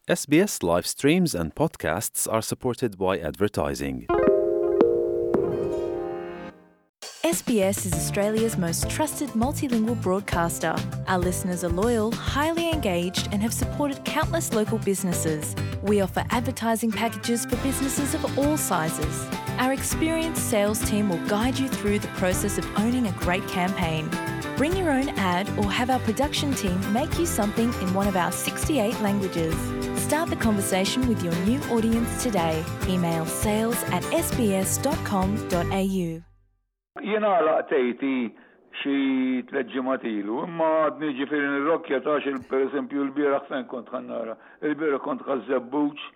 SBS live streams and podcasts are supported by advertising. SBS is Australia's most trusted multilingual broadcaster. Our listeners are loyal, highly engaged, and have supported countless local businesses. We offer advertising packages for businesses of all sizes. Our experienced sales team will guide you through the process of owning a great campaign. Bring your own ad or have our production team make you something in one of our 68 languages. Start the conversation with your new audience today. Email sales at sbs.com.au. Jien għalaqt 80 xi tlet ġimgħat ilu, imma għadni ġifieri nirrokkja ta' xi pereżempju l-bieraħ fejn kont ħa nara. Il-bieraħ kont Ħaż-Żebbuġ,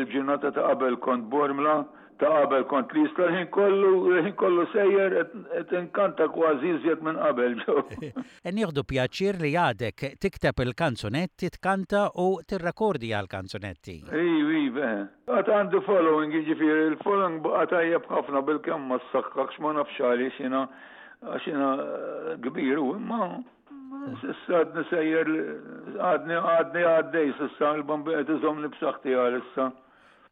il-ġurnata ta' qabel kont Bormla, Ta' qabel kont l-Isla l-ħin kollu, l-ħin kollu sejjer qed inkanta kważi iżjed minn qabel ġew. Nieħdu pjaċir li għadek tikteb il-kanzunetti, tkanta u tirrekordja l-kanzunetti. Iv, iv, eħe. Għad għandi following, jiġifieri l-following baqa' tajjeb ħafna bilkemm ma ssaħħaħx ma nafx għaliex jiena għax jiena kbir hu imma s'issa għadni sejjer għadni għadni għaddej s'issa l-Bambin qed iżommni b'saħħti għalissa.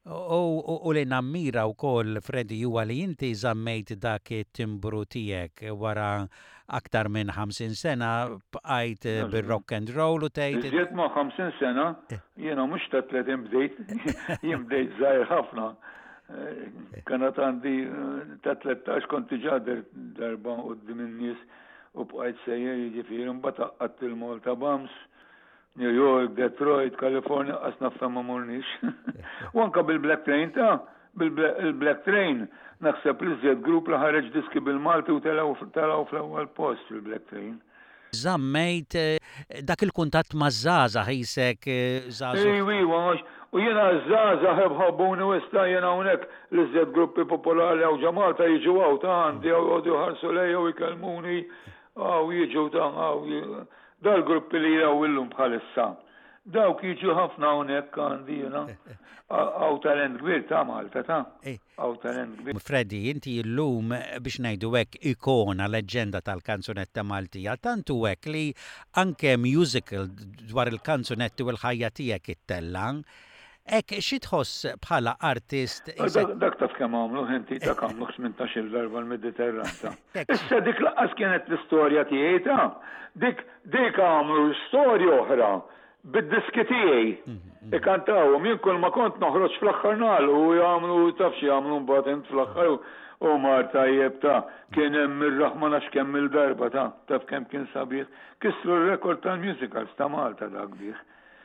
U li nammira wkoll Freddie huwa li inti żammejt dak it-timbru tiegħek wara aktar minn 50 sena bqajt bir-rock and roll u tgħid. Iżjed ma' 50 sena, jiena mhux ta' 30 bdejt, jien bdejt żgħir ħafna. Kien għad għandi ta' 13 kont diġà darba quddiem in-nies u bqajt sejjer jiġifieri mbagħad għaqqadt il-Malta Bums. New York, Detroit, California, qas naf fejn ma morniex. U anka bil-Black Train ta' bil-Black Train naħseb li żjed grupp li ħareġ diski bil-Malti u telgħu fl-ewwel post il-Black Train. Żammejt eh, dak il-kuntatt maż-żgħażagħ isek eh, żgħażugħ. Iwa, iwa, u jiena ż-żgħażagħ ħabbuni u issa jiena hawnhekk li żjed gruppi popolari hawn ġo Malta jiġu hawn ta' għandi hawn joqogħdu jħarsu lejja u jkellmuni hawn jiġu ta' hawn Dal-gruppi li hawn illum bħalissa, dawk jiġu ħafna hawnhekk għandi jiena. Hawn talent kbir ta' Malta ta'. Hawn talent kbir. Freddie, inti llum biex ngħidu hekk ikona, leġġenda tal-kanzunetta Maltija, tant hu hekk li anke musical dwar il-kanzunetti u l-ħajja tiegħek ittella'. Hekk xi tħoss bħala artist? Dak taf kemm għamlu inti, dak għamlu 18-il darba l-Mediterran ta'. Issa dik laqqas kienet l-istorja tiegħi ta'. Dik dik għamlu storja oħra bid-diski tiegħi. Mhm, mhm. Ikantawhom jien kull ma kont noħroġ fl-aħħar nagħlqu u jagħmlu taf xi jagħmlu mbagħad int fl-aħħar u mar tajjeb ta' kien hemm ir-raħma nafx kemm il-darba ta' taf kemm kien sabiħ. Kisru r-rekord tal-musicals ta' Malta dak bih.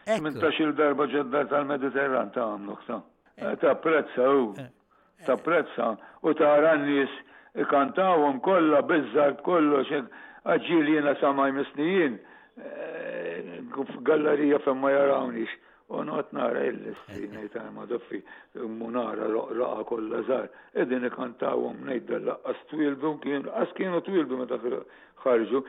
18-il darba ġod-dar tal-Mediterran ta' għamluh ta'. Eh, tapprezza hu. Eh. Tapprezza u tara n-nies ikantawhom kollha biż-żar b'kollox għax ġieli jiena sa ma jmissni jien eh, f'gallerija fejn ma jarawnix. U noqgħod nara il-listi ngħid ma doffi mu nara raqa kollha żgħar. Qegħdin ikantawhom ngħid laqqas twildu kien qas kienu twildu meta ħarġu.